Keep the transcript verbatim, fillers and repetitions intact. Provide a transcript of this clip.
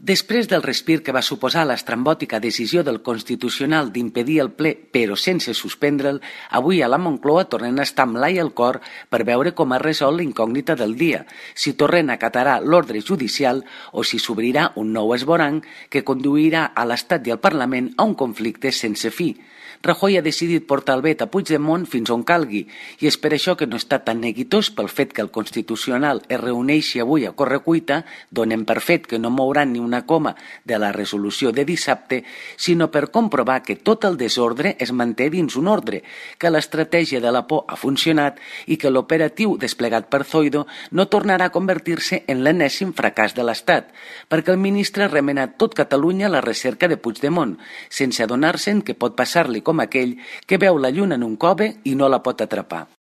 Després del respir que va suposar l'estrambòtica decisió del Constitucional d'impedir el ple, però sense suspendre'l, avui a la Moncloa tornen a estar amb l'ai al cor per veure com ha resolt la incògnita del dia, si Torrent acatarà l'ordre judicial o si s'obrirà un nou esvoranc que conduirà a l'Estat i al Parlament a un conflicte sense fi. Rajoy ha decidit portar el vet a Puigdemont fins on calgui i és per això que no està tan neguitós pel fet que el Constitucional es reuneixi avui a correcuita, donem per fet que no mouran ni una coma de la resolució de dissabte, sinó per comprovar que tot el desordre es manté dins un ordre, que l'estratègia de la por ha funcionat i que l'operatiu desplegat per Zoido no tornarà a convertir-se en l'enèsim fracàs de l'Estat, perquè el ministre ha remenat tot Catalunya a la recerca de Puigdemont, sense adonar-se'n que pot passar-li com aquell que veu la lluna en un cove i no la pot atrapar.